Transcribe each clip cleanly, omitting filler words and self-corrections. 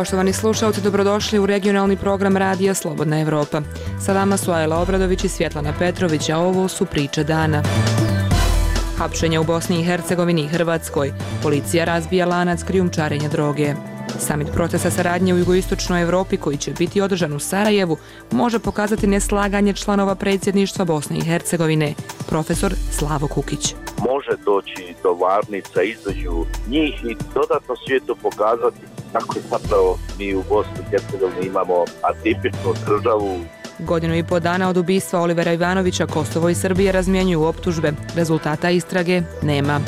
Poštovani slušalci, dobrodošli u regionalni program Radija Slobodna Evropa. Sa vama su Ajla Obradović i Svjetlana Petrović, a ovo su priče dana. Hapšenje u Bosni i Hercegovini i Hrvatskoj. Policija razbija lanac krijumčarenja droge. Samit procesa saradnje u jugoistočnoj Evropi, koji će biti održan u Sarajevu, može pokazati neslaganje članova predsjedništva Bosne i Hercegovine. Profesor Slavo Kukić. Može doći do varnica između njih i dodatno svijetu pokazati kako zapravo mi u Bosni i Hercegovini imamo atipičnu državu. Godinu i po dana od ubistva Olivera Ivanovića Kosovo i Srbija razmjenjuju optužbe. Rezultata istrage nema.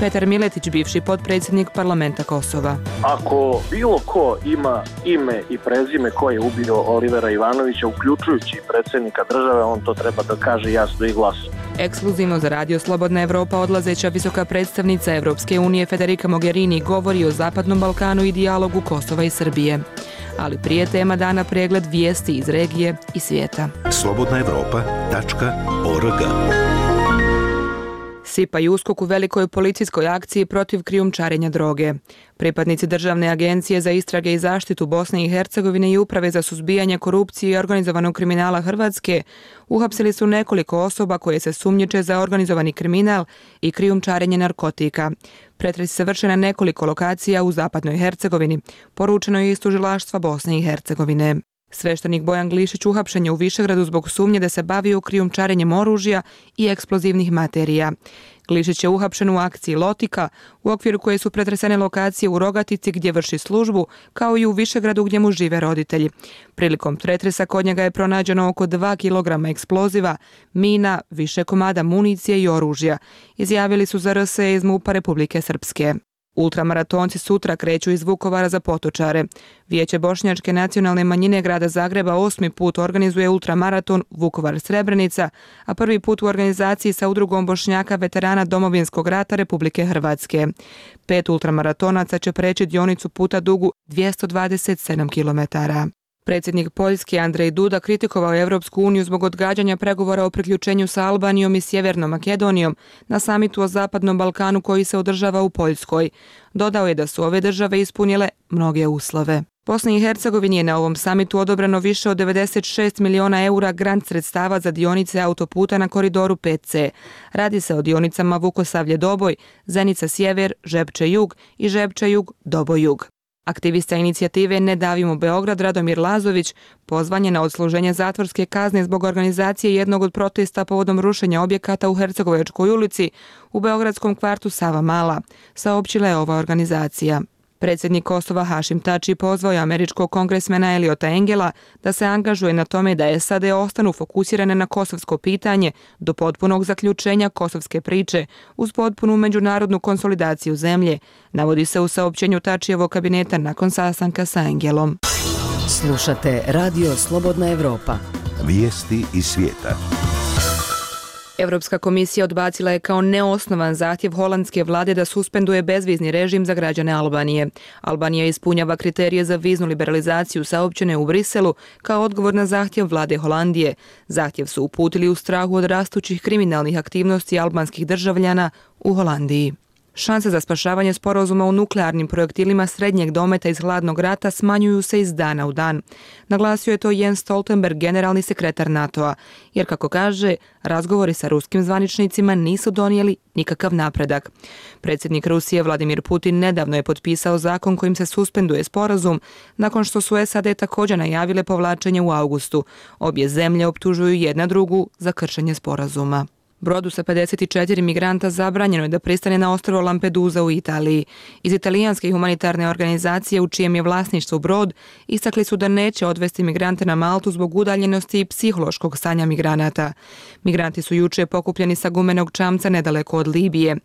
Petar Miletić, bivši potpredsjednik parlamenta Kosova. Ako bilo ko ima ime i prezime ko je ubio Olivera Ivanovića, uključujući predsjednika države, on to treba da kaže jasno i glasno. Ekskluzivno za Radio Slobodna Evropa odlazeća visoka predstavnica Evropske unije Federica Mogherini govori o Zapadnom Balkanu i dijalogu Kosova i Srbije. Ali prije tema dana pregled vijesti iz regije i svijeta. slobodnaevropa.org. Sipa i USKOK u velikoj policijskoj akciji protiv krijumčarenja droge. Pripadnici Državne agencije za istrage i zaštitu Bosne i Hercegovine i Uprave za suzbijanje korupcije i organizovanog kriminala Hrvatske uhapsili su nekoliko osoba koje se sumnjiče za organizovani kriminal i krijumčarenje narkotika. Pretresi se vrše na nekoliko lokacija u Zapadnoj Hercegovini, poručeno je iz tužilaštva Bosne i Hercegovine. Sveštenik Bojan Glišić uhapšen je u Višegradu zbog sumnje da se bavio krijumčarenjem oružja i eksplozivnih materija. Glišić je uhapšen u akciji Lotika, u okviru koje su pretresene lokacije u Rogatici gdje vrši službu, kao i u Višegradu gdje mu žive roditelji. Prilikom pretresa kod njega je pronađeno oko 2 kg eksploziva, mina, više komada municije i oružja, izjavili su za RSE iz MUP-a Republike Srpske. Ultramaratonci sutra kreću iz Vukovara za Potočare. Vijeće Bošnjačke nacionalne manjine grada Zagreba 8. put organizuje ultramaraton Vukovar-Srebrenica, a prvi put u organizaciji sa udrugom Bošnjaka veterana Domovinskog rata Republike Hrvatske. 5 ultramaratonaca će preći dionicu puta dugu 227 km. Predsjednik Poljske Andrej Duda kritikovao je Evropsku uniju zbog odgađanja pregovora o priključenju sa Albanijom i Sjevernom Makedonijom na samitu o Zapadnom Balkanu koji se održava u Poljskoj. Dodao je da su ove države ispunile mnoge uslove. Bosni i Hercegovini je na ovom samitu odobreno više od 96 miliona eura grant sredstava za dionice autoputa na koridoru 5C. Radi se o dionicama Vukosavlje-Doboj, Zenica-Sjever, Žepče-Jug i Žepče-Jug-Doboj-Jug. Aktivista inicijative Ne davimo Beograd Radomir Lazović pozvan je na odsluženje zatvorske kazne zbog organizacije jednog od protesta povodom rušenja objekata u Hercegovačkoj ulici u beogradskom kvartu Savamala, saopćila je ova organizacija. Predsjednik Kosova Hašim Tači pozvao je američkog kongresmena Eliota Engela da se angažuje na tome da SAD ostanu fokusirane na kosovsko pitanje do potpunog zaključenja kosovske priče uz potpunu međunarodnu konsolidaciju zemlje, navodi se u saopćenju Tačijevog kabineta nakon sastanka sa Engelom. Slušate Radio Slobodna Evropa. Vijesti iz svijeta. Europska komisija odbacila je kao neosnovan zahtjev holandske vlade da suspenduje bezvizni režim za građane Albanije. Albanija ispunjava kriterije za viznu liberalizaciju saopćene u Briselu kao odgovor na zahtjev vlade Holandije. Zahtjev su uputili u strahu od rastućih kriminalnih aktivnosti albanskih državljana u Holandiji. Šanse za spašavanje sporazuma u nuklearnim projektilima srednjeg dometa iz hladnog rata smanjuju se iz dana u dan. Naglasio je to Jens Stoltenberg, generalni sekretar NATO-a, jer kako kaže, razgovori sa ruskim zvaničnicima nisu donijeli nikakav napredak. Predsjednik Rusije Vladimir Putin nedavno je potpisao zakon kojim se suspenduje sporazum, nakon što su SAD također najavile povlačenje u avgustu. Obje zemlje optužuju jedna drugu za kršenje sporazuma. Brodu sa 54 migranta zabranjeno je da pristane na ostrvo Lampedusa u Italiji. Iz italijanske humanitarne organizacije u čijem je vlasništvu brod istakli su da neće odvesti migrante na Maltu zbog udaljenosti i psihološkog stanja migranata. Migranti su juče pokupljeni sa gumenog čamca nedaleko od Libije.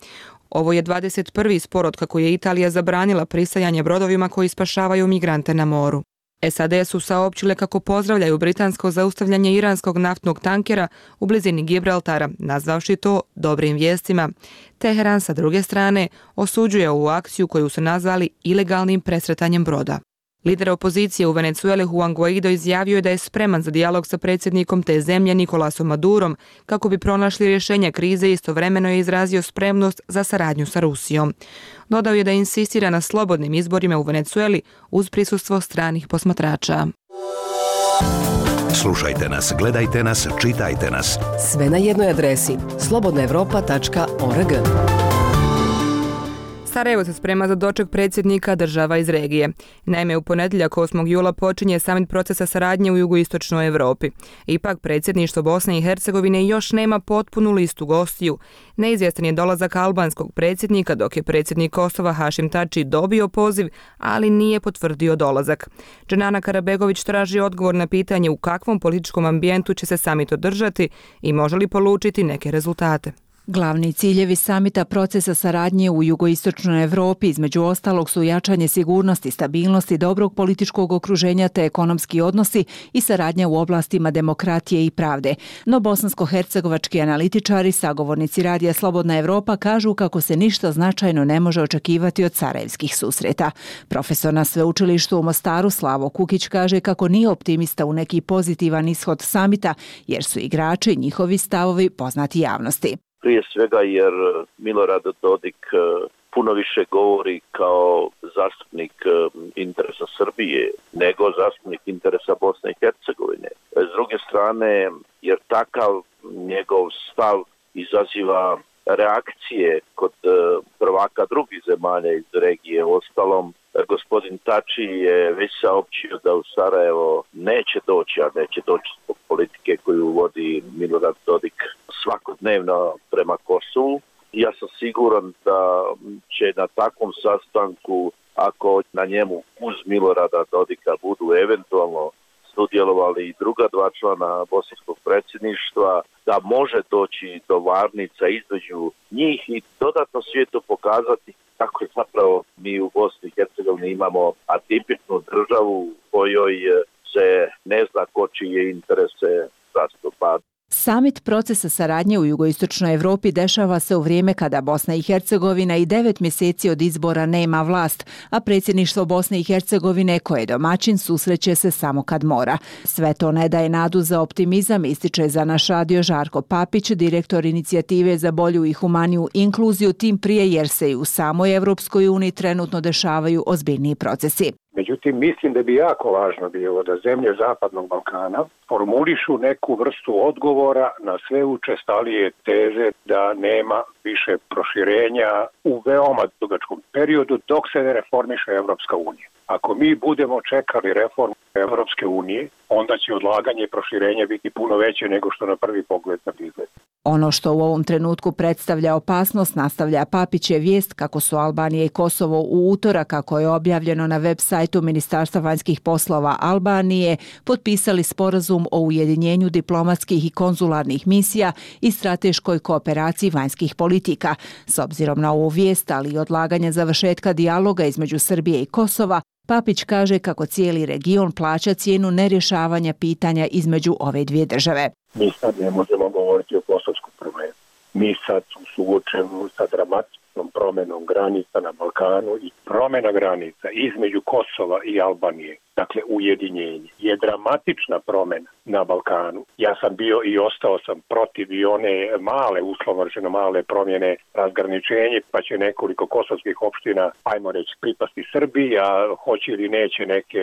Ovo je 21. spor od kako je Italija zabranila pristajanje brodovima koji spašavaju migrante na moru. SAD su saopćile kako pozdravljaju britansko zaustavljanje iranskog naftnog tankera u blizini Gibraltara, nazvavši to dobrim vijestima. Teheran sa druge strane osuđuje ovu akciju koju su nazvali ilegalnim presretanjem broda. Lider opozicije u Venezueli Juan Guaido izjavio je da je spreman za dijalog sa predsjednikom te zemlje Nicolasom Madurom kako bi pronašli rješenje krize i istovremeno je izrazio spremnost za saradnju sa Rusijom. Dodao je da insistira na slobodnim izborima u Venezueli uz prisustvo stranih posmatrača. Slušajte nas, gledajte nas, čitajte nas. Sve na jednoj adresi slobodnaevropa.org. Sarajevo se sprema za doček predsjednika država iz regije. Naime, u ponedjeljak 8. jula počinje samit procesa saradnje u jugoistočnoj Europi. Ipak, predsjedništvo Bosne i Hercegovine još nema potpunu listu gostiju. Neizvjestan je dolazak albanskog predsjednika, dok je predsjednik Kosova Hašim Tači dobio poziv, ali nije potvrdio dolazak. Dženana Karabegović traži odgovor na pitanje u kakvom političkom ambijentu će se samit održati i može li polučiti neke rezultate. Glavni ciljevi samita procesa saradnje u jugoistočnoj Europi između ostalog su jačanje sigurnosti, stabilnosti, dobrog političkog okruženja te ekonomski odnosi i saradnja u oblastima demokratije i pravde. No bosansko-hercegovački analitičari, sagovornici radija Slobodna Evropa kažu kako se ništa značajno ne može očekivati od sarajevskih susreta. Profesor na sveučilištu u Mostaru Slavo Kukić kaže kako nije optimista u neki pozitivan ishod samita jer su igrači i njihovi stavovi poznati javnosti. Prije svega jer Milorad Dodik puno više govori kao zastupnik interesa Srbije nego zastupnik interesa Bosne i Hercegovine. S druge strane, jer takav njegov stav izaziva reakcije kod prvaka drugih zemalja iz regije. Ostalom, gospodin Tači je već saopćio da u Sarajevo neće doći zbog politike koju vodi Milorad Dodik svakodnevno prema Kosovu. Ja sam siguran da će na takvom sastanku, ako na njemu uz Milorada Dodika budu eventualno sudjelovali i druga dva člana bosanskog predsjedništva, da može doći do varnica između njih i dodatno svijetu pokazati kako je zapravo mi u Bosni i Hercegovini imamo atipičnu državu u kojoj se ne zna ko čije interese zastupa. Samit procesa saradnje u jugoistočnoj Europi dešava se u vrijeme kada Bosna i Hercegovina i 9 mjeseci od izbora nema vlast, a predsjedništvo Bosne i Hercegovine koje je domaćin susreće se samo kad mora. Sve to ne daje nadu za optimizam, ističe za naš radio Žarko Papić, direktor inicijative za bolju i humaniju inkluziju, tim prije jer se i u samoj Europskoj uniji trenutno dešavaju ozbiljniji procesi. Međutim, mislim da bi jako važno bilo da zemlje Zapadnog Balkana formulišu neku vrstu odgovora na sve učestalije teze da nema više proširenja u veoma dugačkom periodu dok se ne reformiše Evropska unija. Ako mi budemo čekali reformu Evropske unije, onda će odlaganje i proširenje biti puno veće nego što na prvi pogled izgleda. Ono što u ovom trenutku predstavlja opasnost, nastavlja Papić, je vijest kako su Albanija i Kosovo u utorak, kako je objavljeno na web sajtu Ministarstva vanjskih poslova Albanije, potpisali sporazum o ujedinjenju diplomatskih i konzularnih misija i strateškoj kooperaciji vanjskih politika. S obzirom na ovu vijest, ali i odlaganje završetka dijaloga između Srbije i Kosova, Papić kaže kako cijeli region plaća cijenu nerješavanja pitanja između ove dvije države. Mi sad ne možemo govoriti o kosovskom problemu. Mi sad suočeni sa dramatičnom promjenom granica na Balkanu i promjena granica između Kosova i Albanije, dakle ujedinjenje, je dramatična promjena na Balkanu. Ja sam bio i ostao sam protiv i one male, uslovno rečeno male promjene razgraničenje, pa će nekoliko kosovskih opština, ajmo reći, pripasti Srbiji, a hoće ili neće neke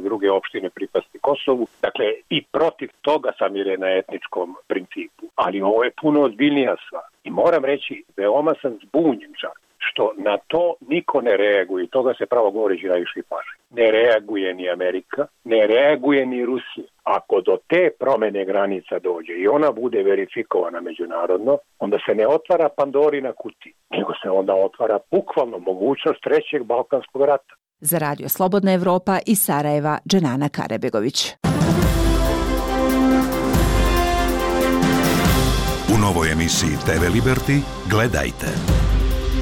druge opštine pripasti Kosovu. Dakle, i protiv toga sam jer je na etničkom principu. Ali ovo je puno ozbiljnija stvar. I moram reći, veoma sam zbunjen čak što na to niko ne reaguje. Toga se pravo govoreći najviše paže. Ne reaguje ni Amerika, ne reaguje ni Rusija. Ako do te promjene granica dođe i ona bude verifikovana međunarodno, onda se ne otvara Pandorina kutija, nego se onda otvara bukvalno mogućnost trećeg Balkanskog rata. Za radio Slobodna Evropa iz Sarajeva, Dženana Karabegović. U novoj emisiji TV Liberty gledajte.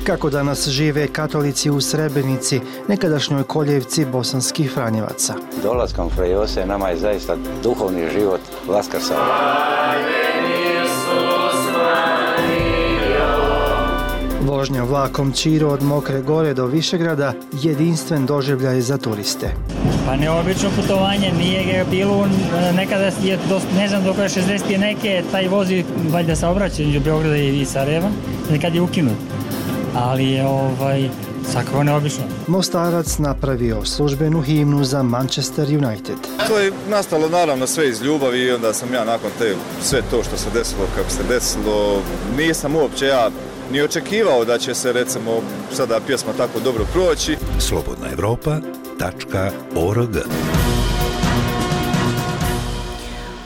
Kako danas žive katolici u Srebrenici, nekadašnjoj koljevci bosanskih Franjevaca. Dolaskom Fra Jose nama je zaista duhovni život vaskrsao. Vožnja vlakom Čiro od Mokre Gore do Višegrada jedinstven doživljaj za turiste. Pa neobično putovanje, nije ga bilo, nekada je, ne znam dok je 60. neke, taj vozi valjda saobraćaj između Beograda i Sarajeva, nekad je ukinut, ali je svakako neobično. Mostarac napravio službenu himnu za Manchester United. To je nastalo naravno sve iz ljubavi i onda sam ja nakon sve to što se desilo kako se desilo, nisam uopće ja ni očekivao da će se recimo sada pjesma tako dobro proći. slobodnaevropa.org.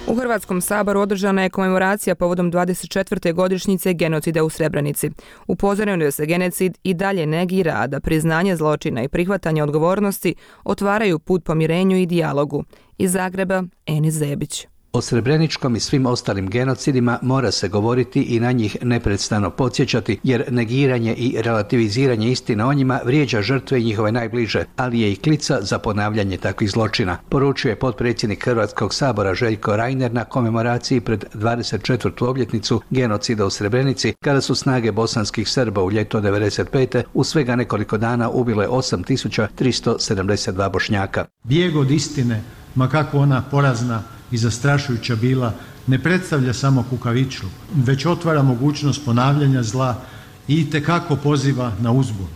U Hrvatskom saboru održana je komemoracija povodom 24. godišnjice genocida u Srebrenici. Upozoreno je da se genocid i dalje negira, a da priznanje zločina i prihvatanje odgovornosti otvaraju put pomirenju i dijalogu. Iz Zagreba, Enis Zebić. O Srebreničkom i svim ostalim genocidima mora se govoriti i na njih neprestano podsjećati, jer negiranje i relativiziranje istine o njima vrijeđa žrtve i njihove najbliže, ali je i klica za ponavljanje takvih zločina, poručuje potpredsjednik Hrvatskog sabora Željko Reiner na komemoraciji pred 24. obljetnicu genocida u Srebrenici, kada su snage bosanskih Srba u ljeto 1995. u svega nekoliko dana ubile 8.372 Bošnjaka. Bijeg od istine, ma kako ona porazna i zastrašujuća bila, ne predstavlja samo kukavičluk, već otvara mogućnost ponavljanja zla i itekako poziva na uzbunu.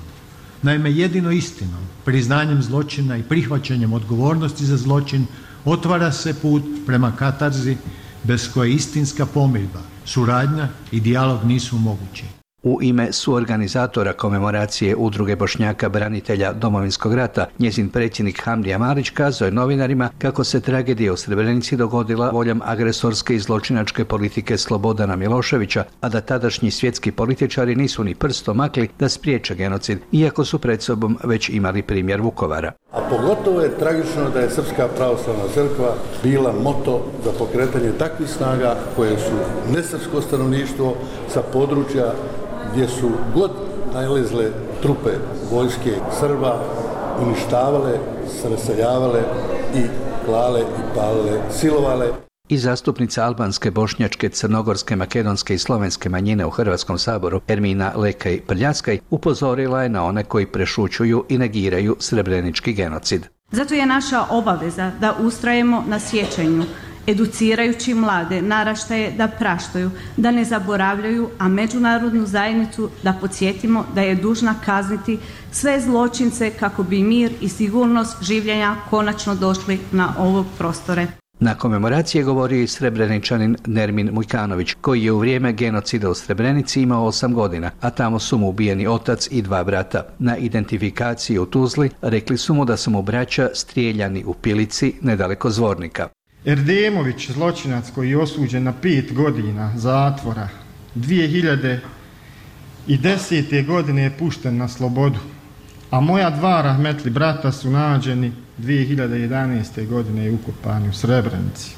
Naime, jedino istinom, priznanjem zločina i prihvaćanjem odgovornosti za zločin otvara se put prema katarzi bez koje istinska pomirba, suradnja i dijalog nisu mogući. U ime suorganizatora komemoracije Udruge Bošnjaka branitelja Domovinskog rata, njezin predsjednik Hamdija Marić kazao je novinarima kako se tragedija u Srebrenici dogodila voljom agresorske i zločinačke politike Slobodana Miloševića, a da tadašnji svjetski političari nisu ni prstom makli da spriječe genocid, iako su pred sobom već imali primjer Vukovara. A pogotovo je tragično da je Srpska pravoslavna crkva bila moto za pokretanje takvih snaga koje su nesrpsko stanovništvo sa područja gdje su god najlezle trupe vojske Srba uništavale, raseljavale i klale i palile, silovale. I zastupnica albanske, bošnjačke, crnogorske, makedonske i slovenske manjine u Hrvatskom saboru Ermina Lekaj Prljaskaj upozorila je na one koji prešućuju i negiraju srebrenički genocid. Zato je naša obaveza da ustrajemo na sjećanju, educirajući mlade naraštaje da praštaju, da ne zaboravljaju, a međunarodnu zajednicu da podsjetimo da je dužna kazniti sve zločince kako bi mir i sigurnost življenja konačno došli na ove prostore. Na komemoraciji je govorio i Srebreničanin Nermin Mujkanović, koji je u vrijeme genocida u Srebrenici imao 8 godina, a tamo su mu ubijeni otac i 2 brata. Na identifikaciji u Tuzli rekli su mu da su mu braća strijeljani u Pilici nedaleko Zvornika. Erdemović, zločinac koji je osuđen na 5 godina zatvora, 2010. godine je pušten na slobodu, a moja 2 rahmetli brata su nađeni 2011. godine i ukopani u Srebrenici.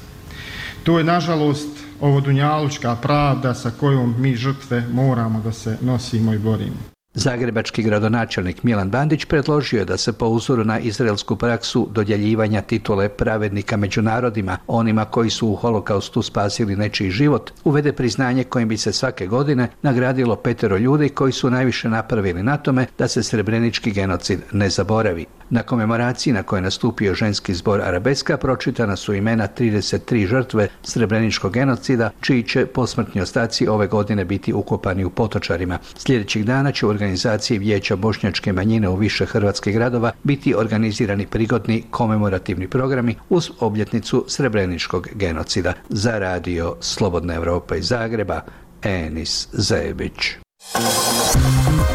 To je, nažalost, ovodunjalučka pravda sa kojom mi žrtve moramo da se nosimo i borimo. Zagrebački gradonačelnik Milan Bandić predložio je da se po uzoru na izraelsku praksu dodjeljivanja titule pravednika među narodima, onima koji su u holokaustu spasili nečiji život, uvede priznanje kojim bi se svake godine nagradilo 5 ljudi koji su najviše napravili na tome da se srebrenički genocid ne zaboravi. Na komemoraciji na kojoj je nastupio ženski zbor Arabeska pročitana su imena 33 žrtve srebreničkog genocida, čiji će posmrtni ostaci ove godine biti ukopani u Potočarima. Sljedećih dana će u organizaciji Vijeća bošnjačke manjine u više hrvatskih gradova biti organizirani prigodni komemorativni programi uz obljetnicu srebreničkog genocida. Za radio Slobodna Evropa iz Zagreba, Enis Zebić.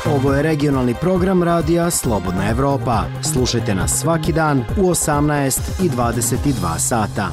Ovo je regionalni program radija Slobodna Evropa. Slušajte nas svaki dan u 18 i 22 sata.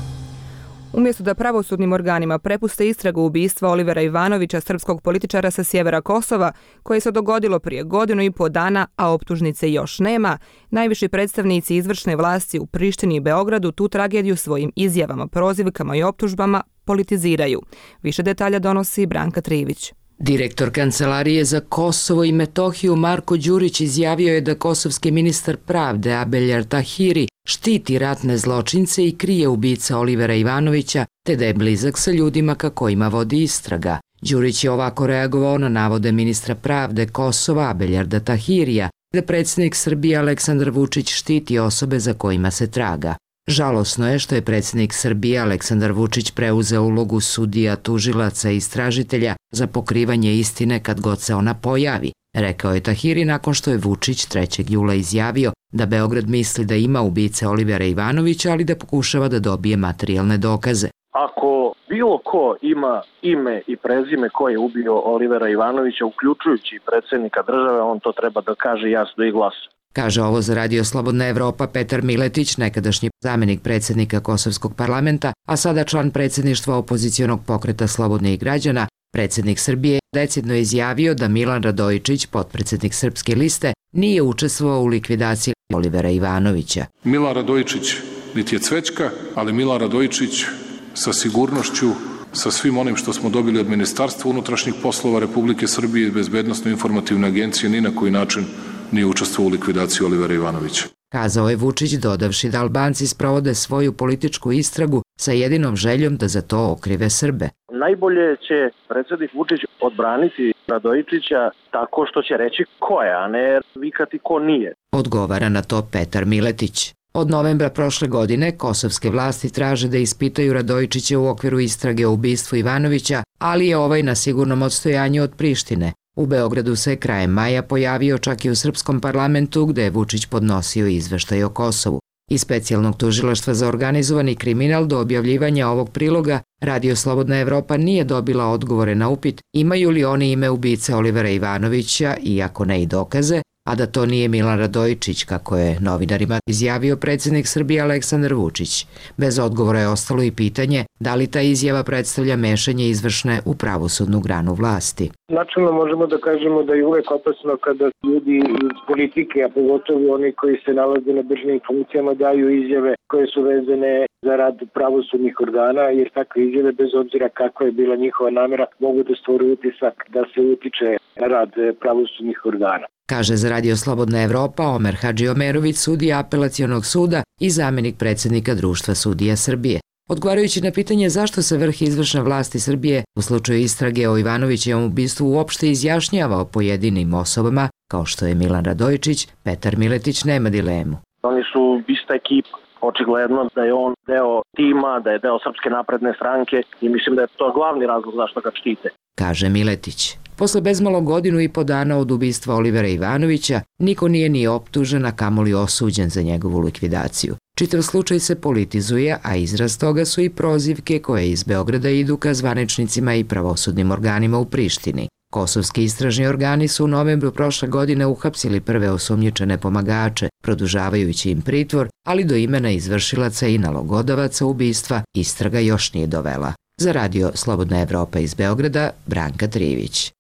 Umjesto da pravosudnim organima prepuste istragu ubistva Olivera Ivanovića, srpskog političara sa sjevera Kosova, koje se dogodilo prije 1,5 godina, a optužnice još nema, najviši predstavnici izvršne vlasti u Prištini i Beogradu tu tragediju svojim izjavama, prozivkama i optužbama politiziraju. Više detalja donosi Branka Trivić. Direktor Kancelarije za Kosovo i Metohiju Marko Đurić izjavio je da kosovski ministar pravde Abeljar Tahiri štiti ratne zločince i krije ubica Olivera Ivanovića, te da je blizak sa ljudima ka kojima vodi istraga. Đurić je ovako reagovao na navode ministra pravde Kosova Abeljarda Tahirija, da predsjednik Srbije Aleksandar Vučić štiti osobe za kojima se traga. Žalosno je što je predsjednik Srbije Aleksandar Vučić preuzeo ulogu sudija, tužilaca i istražitelja za pokrivanje istine kad god se ona pojavi, rekao je Tahiri nakon što je Vučić 3. jula izjavio da Beograd misli da ima ubice Olivera Ivanovića, ali da pokušava da dobije materijalne dokaze. Ako bilo ko ima ime i prezime ko je ubio Olivera Ivanovića, uključujući predsjednika države, on to treba da kaže jasno i glasno. Kaže ovo za Radio Slobodna Evropa Petar Miletić, nekadašnji zamenik predsjednika Kosovskog parlamenta, a sada član predsjedništva opozicionog pokreta Slobodnih građana. Predsjednik Srbije decidno izjavio da Milan Radojičić, potpredsjednik Srpske liste, nije učestvovao u likvidaciji Olivera Ivanovića. Milan Radojičić niti je cvećka, ali Milan Radojičić sa sigurnošću, sa svim onim što smo dobili od Ministarstva unutrašnjih poslova Republike Srbije i Bezbednosno-informativne agencije, ni na koji način nije učestvovao u likvidaciji Olivera Ivanovića. Kazao je Vučić, dodavši da Albanci sprovode svoju političku istragu sa jedinom željom da za to okrive Srbe. Najbolje će predsjednik Vučić odbraniti Radojičića tako što će reći ko je, a ne vikati ko nije. Odgovara na to Petar Miletić. Od novembra prošle godine kosovske vlasti traže da ispitaju Radojičića u okviru istrage o ubistvu Ivanovića, ali je ovaj na sigurnom odstojanju od Prištine. U Beogradu se krajem maja pojavio čak i u srpskom parlamentu gde je Vučić podnosio izveštaj o Kosovu. Iz specijalnog tužilaštva za organizovani kriminal do objavljivanja ovog priloga Radio Slobodna Evropa nije dobila odgovore na upit imaju li oni ime ubice Olivera Ivanovića, iako ne i dokaze, a da to nije Milan Radojičić, kako je novinarima izjavio predsjednik Srbije Aleksandar Vučić. Bez odgovora je ostalo i pitanje da li ta izjava predstavlja mešanje izvršne u pravosudnu granu vlasti. Načelno možemo da kažemo da je uvek opasno kada ljudi iz politike, a pogotovo oni koji se nalaze na državnim funkcijama, daju izjave koje su vezane za rad pravosudnih organa, jer takve izjave, bez obzira kakva je bila njihova namera, mogu da stvore utisak da se utiče na rad pravosudnih organa. Kaže za Radio Slobodna Evropa Omer Hadžiomerović, sudija Apelacionog suda i zamenik predsjednika Društva sudija Srbije. Odgovarajući na pitanje zašto se vrh izvršne vlasti Srbije u slučaju istrage o Ivanovićevom ubistvu uopšte izjašnjava o pojedinim osobama, kao što je Milan Radojičić, Petar Miletić nema dilemu. Oni su ista ekipa. Očigledno da je on deo tima, da je deo Srpske napredne stranke i mislim da je to glavni razlog zašto ga štite. Kaže Miletić. Posle bezmalo godinu i po dana od ubistva Olivera Ivanovića, niko nije ni optužen, a kamoli osuđen za njegovu likvidaciju. Čitav slučaj se politizuje, a izraz toga su i prozivke koje iz Beograda idu ka zvaničnicima i pravosudnim organima u Prištini. Kosovski istražni organi su u novembru prošle godine uhapsili prve osumnjičene pomagače, produžavajući im pritvor, ali do imena izvršilaca i nalogodavaca ubistva istraga još nije dovela. Za Radio Slobodna Evropa iz Beograda, Branka Trivić.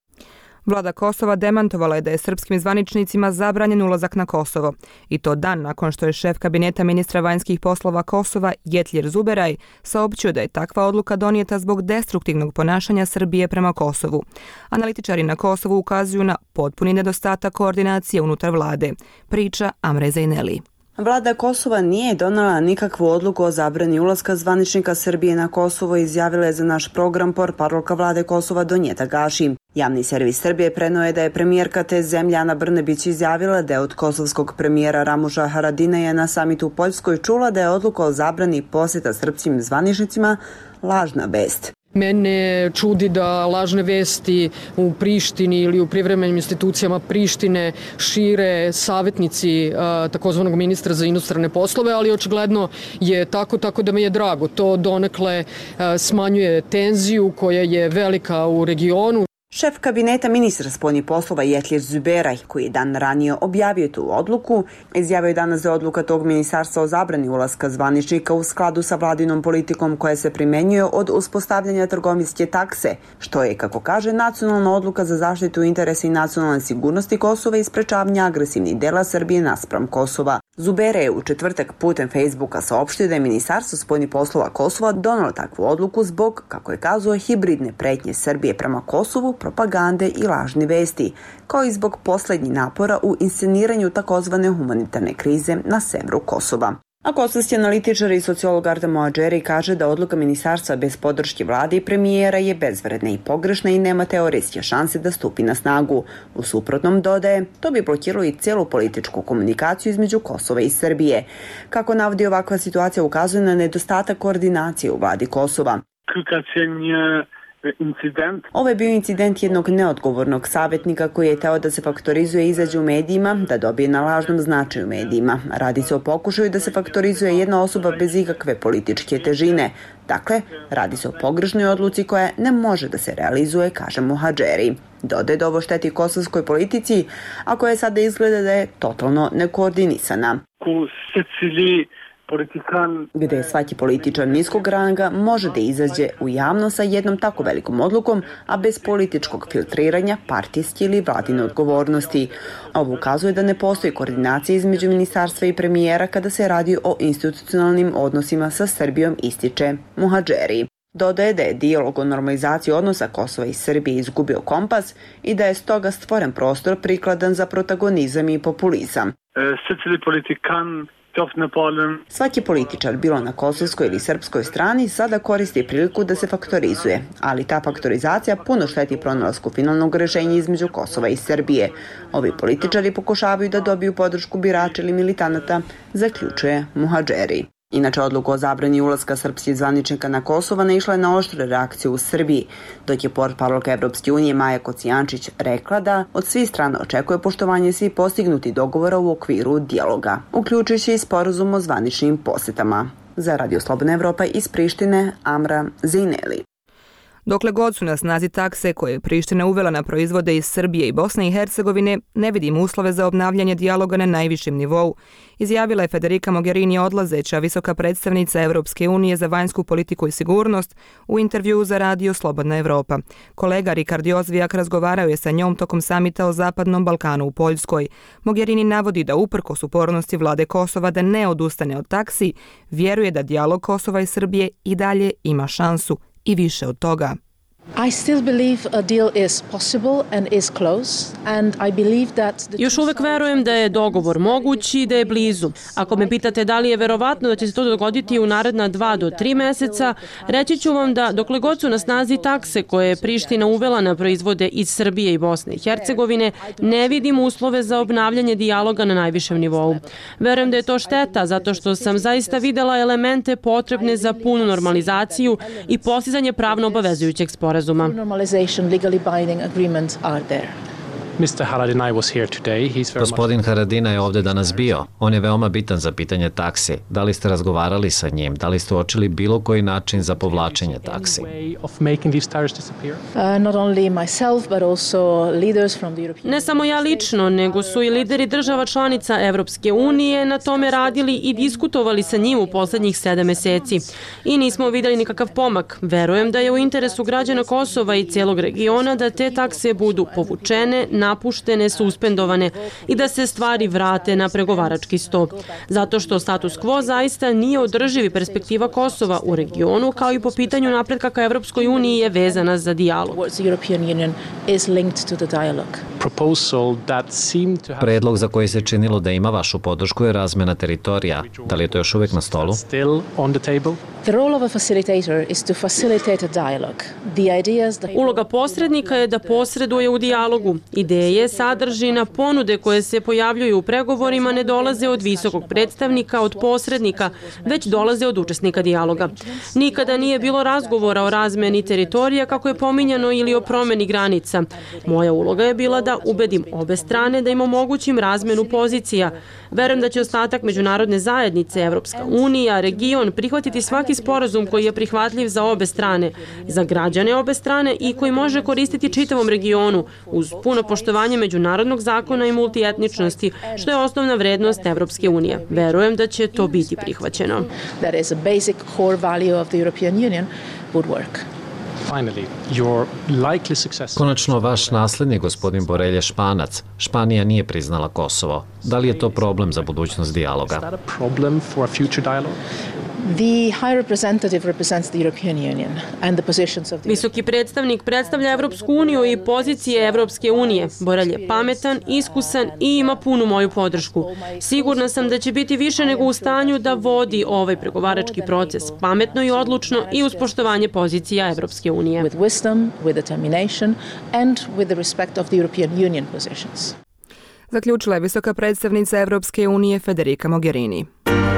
Vlada Kosova demantovala je da je srpskim zvaničnicima zabranjen ulazak na Kosovo. I to dan nakon što je šef kabineta ministra vanjskih poslova Kosova, Jetlir Zuberaj, saopćio da je takva odluka donijeta zbog destruktivnog ponašanja Srbije prema Kosovu. Analitičari na Kosovu ukazuju na potpuni nedostatak koordinacije unutar vlade. Priča Amre Zejneli. Vlada Kosova nije donela nikakvu odluku o zabrani ulaska zvaničnika Srbije na Kosovo, izjavila je za naš program portparolka vlade Kosova Donjeta Gaši. Javni servis Srbije preneo je da je premijerka te zemlje Ana Brnabić izjavila da je od kosovskog premijera Ramuša Haradinaja na samitu u Poljskoj čula da je odluka o zabrani posjeta srpskim zvaničnicima lažna vest. Mene čudi da lažne vesti u Prištini ili u privremenim institucijama Prištine šire savjetnici takozvanog ministra za inostrane poslove, ali očigledno je tako da mi je drago. To donekle smanjuje tenziju koja je velika u regionu. Šef kabineta ministra spoljnih poslova Jetlir Zuberaj, koji je dan ranije objavio tu odluku, izjavio je danas da odluka tog ministarstva o zabrani ulaska zvaničnika u skladu sa vladinom politikom koja se primenjuje od uspostavljanja trgovinske takse, što je, kako kaže, nacionalna odluka za zaštitu interesa i nacionalne sigurnosti Kosova i sprečavanja agresivnih dela Srbije naspram Kosova. Zuberaj je u četvrtak putem Facebooka saopštio da je ministarstvo spoljnih poslova Kosova donelo takvu odluku zbog, kako je kazao, hibridne pretnje Srbije prema Kosovu, propagande i lažni vesti, kao i zbog poslednjih napora u insceniranju takozvane humanitarne krize na severu Kosova. A kosovski analitičar i sociolog Arda Moadžeri kaže da odluka ministarstva bez podrške vlade i premijera je bezvredna i pogrešna i nema teoretske šanse da stupi na snagu. U suprotnom, dodaje, to bi blokiralo i celu političku komunikaciju između Kosova i Srbije. Kako navodi, ovakva situacija ukazuje na nedostatak koordinacije u vladi Kosova. Ovo je bio incident jednog neodgovornog savjetnika koji je teo da se faktorizuje i izađe u medijima, da dobije na lažnom značaju medijima. Radi se o pokušaju da se faktorizuje jedna osoba bez ikakve političke težine. Dakle, radi se o pogrešnoj odluci koja ne može da se realizuje, kaže Moadžeri. Dodaje da ovo šteti kosovskoj politici, a koja sada izgleda da je totalno nekoordinisana. Gde svaki političar niskog ranga može da izađe u javnost sa jednom tako velikom odlukom, a bez političkog filtriranja, partijske ili vladine odgovornosti. Ovo ukazuje da ne postoji koordinacija između ministarstva i premijera kada se radi o institucionalnim odnosima sa Srbijom, ističe Moadžeri. Dodaje da je dijalog o normalizaciji odnosa Kosova i Srbije izgubio kompas i da je stoga stvoren prostor prikladan za protagonizam i populizam. Svaki političar, bilo na kosovskoj ili srpskoj strani, sada koristi priliku da se faktorizuje, ali ta faktorizacija puno šteti pronalasku finalnog rešenja između Kosova i Srbije. Ovi političari pokušavaju da dobiju podršku birača ili militanata, zaključuje Moadžeri. Inače, odluku o zabrani ulaska srpskih zvaničnika na Kosovo naišla je na oštre reakcije u Srbiji, dok je portparolka Evropske unije Maja Kocijančić rekla da od svih strana očekuje poštovanje svih postignuti dogovora u okviru dijaloga, uključujući i sporazum o zvaničnim posetama. Za Radio Slobodna Evropa iz Prištine, Amra Zejneli. Dokle god su na snazi takse koje je Priština uvela na proizvode iz Srbije i Bosne i Hercegovine, ne vidim uslove za obnavljanje dijaloga na najvišem nivou, izjavila je Federica Mogherini odlazeća visoka predstavnica Evropske unije za vanjsku politiku i sigurnost u intervjuu za Radio Slobodna Evropa. Kolega Rikard Jozvijak razgovarao je sa njom tokom samita o Zapadnom Balkanu u Poljskoj. Mogherini navodi da uprkos upornosti vlade Kosova da ne odustane od taksi, vjeruje da dijalog Kosova i Srbije i dalje ima šansu i više od toga. Još uvek verujem da je dogovor moguć i da je blizu. Ako me pitate da li je verovatno da će se to dogoditi u naredna 2 do 3 meseca, reći ću vam da dokle god su na snazi takse koje je Priština uvela na proizvode iz Srbije i Bosne i Hercegovine, ne vidim uslove za obnavljanje dijaloga na najvišem nivou. Verujem da je to šteta zato što sam zaista videla elemente potrebne za punu normalizaciju i postizanje pravno obavezujućeg sporazuma. Gospodin Haradinaj je ovdje danas bio. On je veoma bitan za pitanje taksi. Da li ste razgovarali sa njim? Da li ste uočili bilo koji način za povlačenje taksi? Ne samo ja lično, nego su i lideri država članica Evropske unije na tome radili i diskutovali sa njim u poslednjih 7 meseci. I nismo videli nikakav pomak. Verujem da je u interesu građana Kosova i cijelog regiona da te takse budu povučene, napuštene, suspendovane i da se stvari vrate na pregovarački sto. Zato što status quo zaista nije održiv i perspektiva Kosova u regionu, kao i po pitanju napretka ka Evropskoj uniji je vezana za dijalog. Predlog za koji se činilo da ima vašu podršku je razmena teritorija. Da li je to još uvijek na stolu? Uloga posrednika je da posreduje u dijalogu. Ideje, sadržina, ponude koje se pojavljuju u pregovorima ne dolaze od visokog predstavnika, od posrednika, već dolaze od učesnika dijaloga. Nikada nije bilo razgovora o razmeni teritorija kako je pominjano ili o promeni granica. Moja uloga je bila da ubedim obe strane da im omogućim razmenu pozicija. Verujem da će ostatak međunarodne zajednice, Evropska unija, region prihvatiti svaki sporazum koji je prihvatljiv za obe strane, za građane obe strane i koji može koristiti čitavom regionu uz puno poštovanje međunarodnog zakona i multietničnosti, što je osnovna vrednost Evropske unije. Verujem da će to biti prihvaćeno. Konačno, vaš nasljednik, gospodin Borelj, je Španac. Španija nije priznala Kosovo. Da li je to problem za budućnost dijaloga? Visoki predstavnik predstavlja Evropsku uniju i pozicije Evropske unije. Borelj je pametan, iskusan i ima punu moju podršku. Sigurna sam da će biti više nego u stanju da vodi ovaj pregovarački proces pametno i odlučno i uz poštovanje pozicija Evropske unije. Zaključila je visoka predstavnica Evropske unije Federica Mogherini.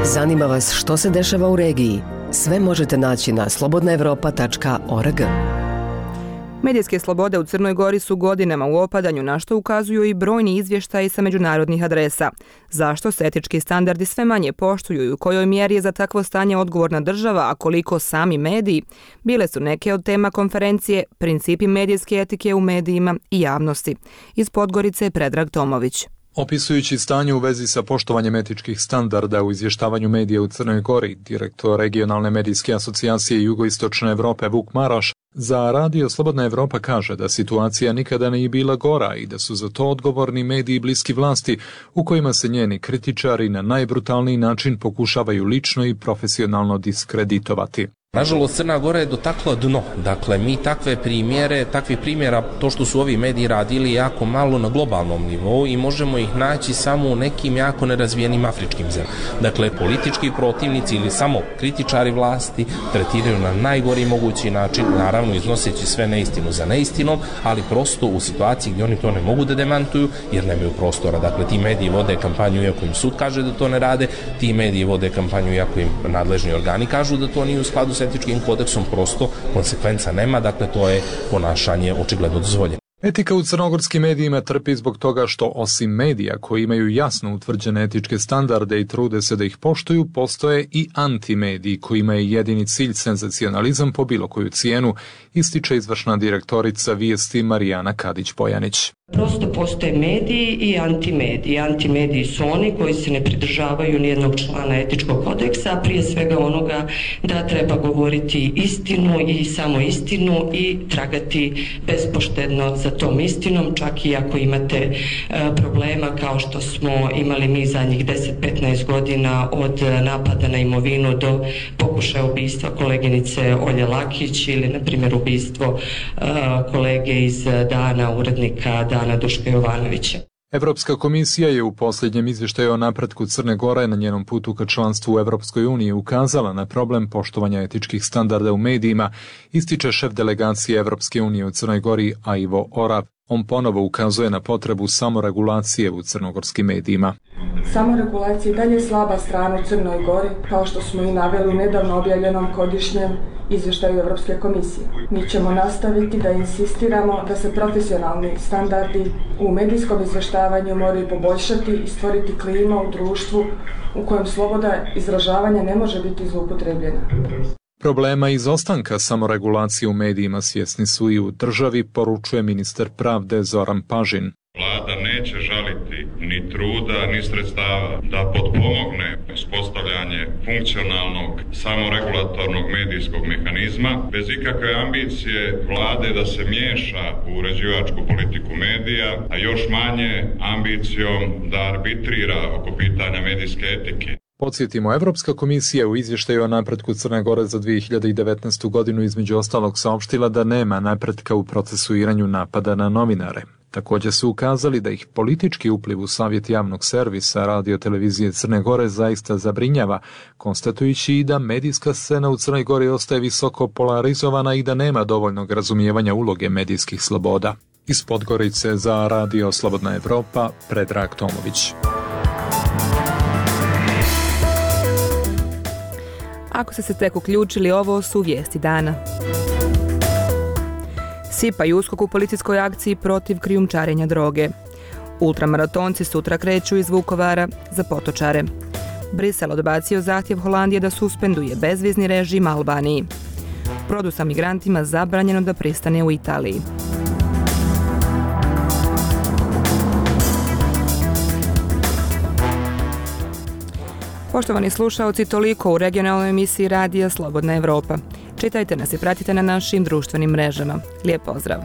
Zanima vas što se dešava u regiji? Sve možete naći na slobodnaevropa.org. Medijske slobode u Crnoj Gori su godinama u opadanju, na što ukazuju i brojni izvještaji sa međunarodnih adresa. Zašto se etički standardi sve manje poštuju i u kojoj mjeri je za takvo stanje odgovorna država, a koliko sami mediji? Bile su neke od tema konferencije Principi medijske etike u medijima i javnosti. Iz Podgorice je Predrag Tomović. Opisujući stanje u vezi sa poštovanjem etičkih standarda u izvještavanju medija u Crnoj Gori, direktor regionalne medijske asocijacije Jugoistočne Evrope Vuk Maroš za Radio Slobodna Evropa kaže da situacija nikada nije bila gora i da su za to odgovorni mediji bliski vlasti u kojima se njeni kritičari na najbrutalniji način pokušavaju lično i profesionalno diskreditovati. Nažalost, Crna Gora je dotakla dno. Dakle, mi takvih primjera, to što su ovi mediji radili jako malo na globalnom nivou i možemo ih naći samo u nekim jako nerazvijenim afričkim zemljama. Dakle, politički protivnici ili samo kritičari vlasti tretiraju na najgori mogući način, naravno iznoseći sve neistinu za neistinom, ali prosto u situaciji gdje oni to ne mogu da demantuju jer nemaju prostora. Dakle, ti mediji vode kampanju iako im sud kaže da to ne rade, ti mediji vode kampanju iako im nadležni organi kažu da to nije u skladu s etičkim kodeksom, prosto konsekvenca nema, dakle to je ponašanje očigledno dozvoljeno. Etika u crnogorskim medijima trpi zbog toga što osim medija koji imaju jasno utvrđene etičke standarde i trude se da ih poštuju, postoje i antimediji kojima je jedini cilj senzacionalizam po bilo koju cijenu, ističe izvršna direktorica Vijesti Marijana Kadić-Bojanić. Prosto postoje mediji i antimediji. Antimediji su oni koji se ne pridržavaju nijednog člana etičkog kodeksa, a prije svega onoga da treba govoriti istinu i samo istinu i tragati bespoštedno za tom istinom, čak i ako imate problema kao što smo imali mi zadnjih 10-15 godina od napada na imovinu do pokušaja ubistva koleginice Olje Lakić ili na primjer ubistvo kolege iz Dana, urednika Dana Duška Jovanovića. Evropska komisija je u posljednjem izvještaju o napretku Crne Gore na njenom putu ka članstvu u Evropskoj uniji ukazala na problem poštovanja etičkih standarda u medijima, ističe šef delegacije Evropske unije u Crnoj Gori Ivo Orav. On ponovo ukazuje na potrebu samoregulacije u crnogorskim medijima. Samoregulacija je dalje slaba strana u Crnoj Gori, kao što smo i naveli u nedavno objavljenom godišnjem izvještaju Evropske komisije. Mi ćemo nastaviti da insistiramo da se profesionalni standardi u medijskom izvještavanju moraju poboljšati i stvoriti klima u društvu u kojem sloboda izražavanja ne može biti zloupotrebljena. Problema izostanka samoregulacije u medijima svjesni su i u državi, poručuje ministar pravde Zoran Pažin. Vlada neće žaliti ni truda, ni sredstava da potpomogne uspostavljanje funkcionalnog samoregulatornog medijskog mehanizma, bez ikakve ambicije vlade da se miješa u uređivačku politiku medija, a još manje ambicijom da arbitrira oko pitanja medijske etike. Podsjetimo, Evropska komisija u izvještaju o napretku Crne Gore za 2019. godinu između ostalog saopštila da nema napretka u procesuiranju napada na novinare. Također su ukazali da ih politički upliv u savjet javnog servisa Radio televizije Crne Gore zaista zabrinjava, konstatujući i da medijska scena u Crnoj Gori ostaje visoko polarizovana i da nema dovoljnog razumijevanja uloge medijskih sloboda. Iz Podgorice za Radio Slobodna Evropa, Predrag Tomović. Ako ste se tek uključili, ovo su vijesti dana. SIPA i USKOK u policijskoj akciji protiv krijumčarenja droge. Ultramaratonci sutra kreću iz Vukovara za potočare. Brisel odbacio zahtjev Holandije da suspenduje bezvizni režim Albaniji. Brodu sa migrantima zabranjeno da pristane u Italiji. Poštovani slušaoci, toliko u regionalnoj emisiji Radija Slobodna Evropa. Čitajte nas i pratite na našim društvenim mrežama. Lijep pozdrav!